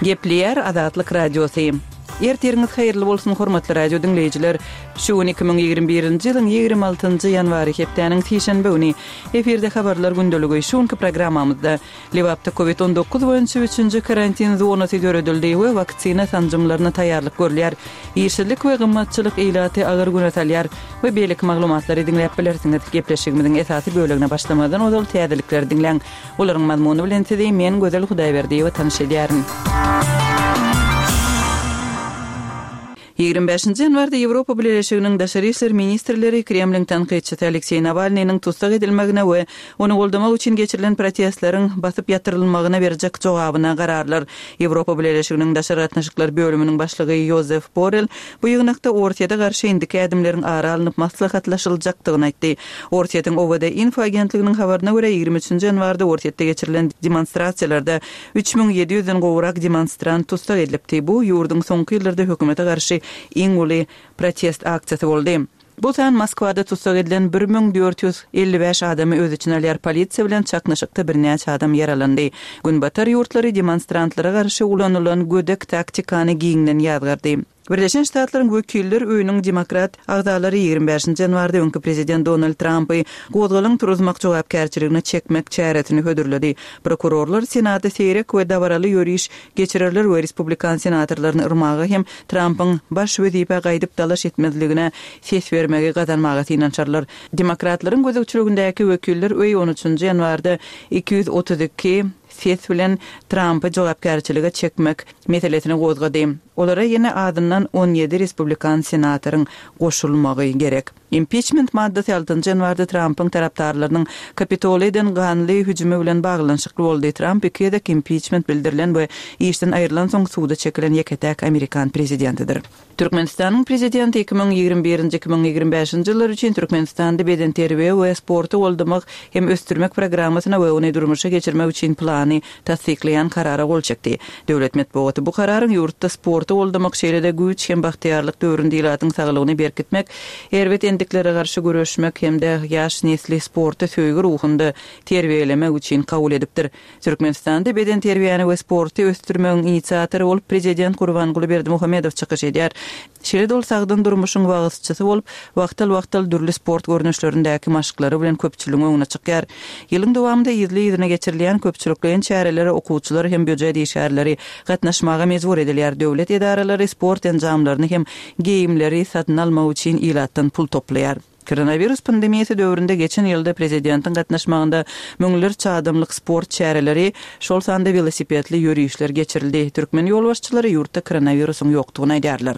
Gepleýär Azatlyk Radiosy. Ertiriňiz haýyrly bolsun, hormatly radio diňleýjiler! Şu gün 2021-nji ýylyň 26-njy ýanwary, hepdäniň sişenbe güni. Efirde Habarlar gündeligi. Şu günki programmamyzda Lebapda Covid 19 boýunça üçünji karantin zonasy döredildi we waksina sanjymlaryna taýýarlyk görülýär. Işsizlik we gymmatçylyk ilaty agyr güne salýar we beýleki maglumatlary diňläp bilersiňiz. Gepleşigimiziň esasy bölegine başlamazdan ozal täzelikleri diňläň. Olaryň mazmuny bilen sizi men Gözel Hudaýberdiýewa tanyş edýärin. 25-nji ýanwarda Ýewropa Bileleşiginiň daşary işler ministrleri Kremliň tankytçysy Alekseý Nawalnynyň tussag edilmegine we ony goldamak üçin geçirilen protestleriň basyp ýatyrylmagyna berjek jogabyna gararlar. Ýewropa Bileleşiginiň daşary gatnaşyklar bölüminiň başlygy Ýozef Borrel bu ýygnakda Orsýete garşy indiki ädimleriň ara alnyp maslahatlaşyljakdygyny aýtdy. Orsýetiň OWD-Info agentliginiň habaryna görä, 23-nji ýanwarda Orsýetde geçirilen demonstrasiýalarda 3700-den gowrak demonstrant tussag edilipdi. Bu, ýurduň soňky ýyllarda hökümete garşy iň uly protest aksiýasy boldy. Bu san Moskwada tussag edilen 1455 adamy öz içine alýar. Polisiýa bilen çaknyşykda birnäçe adam ýaralandy. Günbatar ýurtlary demonstrantlara garşy ulanylan gödek taktikany giňden ýazgardy. Birleşen Ştatlaryň Wekiller öýüniň demokrat agzalary 25-nji ýanwarda öňki prezident Donald Trampy gozgalaň turuzmak jogapkärçiligine çekmek çäresini hödürledi. Prokurorlar Senata seýrek we dabaraly ýöriş geçirerler we respublikan senatorlaryny yrmaga hem Trampyň baş wezipä gaýdyp dalaş etmezligine ses bermegi gazanmaga synanyşarlar. Demokratlaryň gözegçiligindäki Wekiller öýi on üçünji ýanwarda 232 ses bilen Trampy jogapkärçilige çekmek meselesini gozgady. Olara ýene azyndan 17 respublikan senatoryň goşulmagy gerek. Impiçment maddasy altynjy ýanwarda Trampyň tarapdarlarynyň Kapitola eden ganly hüjümi bilen baglanyşykly boldy. Tramp iki gezek impiçment bildirilen we işden aýrylansoň suda çekilen ýeke-täk amerikan prezidentidir. Türkmenistanyň Prezidenti 2021-nji, 2025-nji ýyllar üçin Türkmenistanda bedenterbiýe we sporty goldamak hem ösdürmek programmasyna we ony durmuşa geçirmek üçin plany tassyklaýan Karara gol çekdi. Döwlet metbugaty bu Kararyň ýurtda sporty goldamak, şeýle-de güýç hem bagtyýarlyk döwründe ilatyň saglygyny berkitmek, erbet endiklere garşy göreşmek hem-de ýaş nesli sporta söýgi ruhunda terbiýelemek üçin kabul edipdir. Türkmenistanda bedenterbiýäni we sporty ösdürmegiň inisiatory bolup prezident Gurbanguly Berdimuhamedow çykyş edýär. Şeýle-de ol sagdyn durmuşyň wagyzçysy bolup, wagtal-wagtal dürli sport görnüşlerindäki maşklary bilen köpçüligiň öňüne çykýar. Ýylyň dowamynda yzly-yzyna geçirilýän köpçülikleýin çärelere okuwçylar hem býujet işgärleri gatnaşmaga mejbur edilýär. Döwlet edaralary sport enjamlaryny hem geýimleri satyn almak üçin ilatdan pul toplaýar. Koronawirus pandemiýasy döwründe geçen ýylda prezidentiň gatnaşmagynda müňlerçe adamlyk sport çäreleri, şol sanda welosipedli ýörişler geçirildi. Türkmen ýolbaşçylary ýurtda koronawirusyň ýokdugyny aýdýarlar.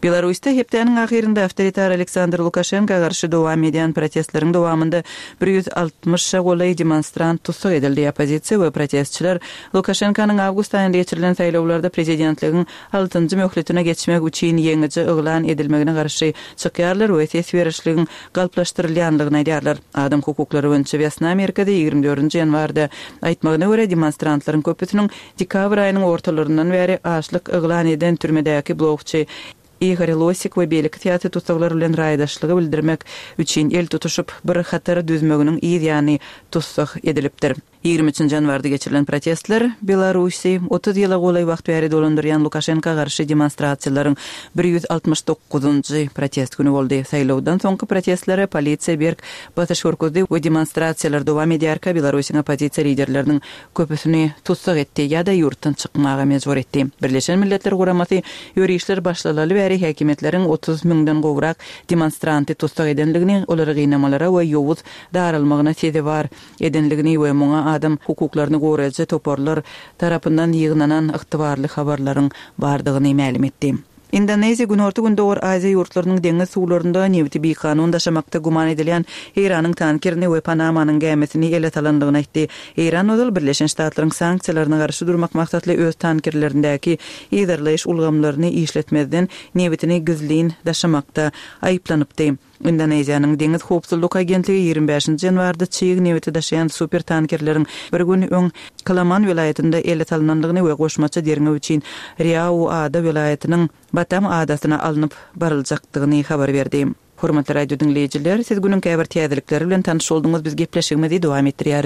Belarusda hepdäniň ahyrynda awtoritar Aleksandr Lukaşenka garşy dowam edýän protestleriň dowamynda 160-a golaý demonstrant tussag edildi. Oppozisiýa we protestçiler Lukaşenkanyň awgust aýynda geçirilen saýlawlarda prezidentligiň altynjy möhletine geçmek üçin ýeňiji yglan edilmegine garşy çykýarlar we ses berişligiň galplaşdyrylýanlygyny aýdýarlar. Adam hukuklary boýunça Wesna merkezi 24-nji ýanwarda aýtmagyna görä, demonstrantlaryň köpüsiniň dekabr aýynyň ortalaryndan bäri açlyk yglan eden türmedäki blogçy Igor Losik we beýleki syýasy tussaglar bilen raýdaşlygy bildirmek üçin el tutuşyp, bir hatar düzmeginiň yz ýany tussag edilipdir. 23-nji ýanwarda geçirilen protestler Belarusy 30 ýyla golaý wagt bäri dolandyrýan Lukaşenka garşy demonstrasiýalaryň 169-njy protest güni boldy. Saýlawdan soňky protestlere polisiýa berk basyş görkezdi we demonstrasiýalar dowam edýärkä Belarusyň oppozisiýa liderleriniň köpüsini tussag etdi ýa-da ýurtdan çykmaga mejbur etdi. Birleşen Milletler Guramasy ýörişler başlalaly bäri häkimiýetleriň 30 müňden gowrak demonstranty tussag edendigini, olary gynamalara we ýowuz daralmagyna sezewar edenligini we muňa adam hukuklaryny goraýjy toparlar tarapyndan ýygnanan ygtybarly habarlaryň bardygyny mälim etdi. Indoneziýa Günorta-Gündogar Aziýa ýurtlarynyň deňiz suwlarynda nebiti bikanun daşamakda güman edilýän Eýranyň tankerini we Panamanyň gämisini ele salandygyny aýtdy. Eýran ozal Birleşen Ştatlaryň sanksiýalaryna garşy durmak maksatly öz tankerlerindäki yzarlaýyş ulgamlaryny işletmezden nebitini gizlin daşamakda aýyplanypdy. Indoneziýanyň Deňiz howpsuzlyk agentligi 25-nji ýanwarda çig nebiti daşaýan super tankerleriň bir gün öň Kalaman welaýatynda ele salnandygyny we goşmaça derňew üçin Riau ada welaýatynyň Batam adasyna alnyp baryljakdygyny habar berdi. Hormatly radio diňleýjiler, siz günüň käbir täzelikleri bilen tanyş bolduňyz, biz gepleşigimizi dowam etdirýäris.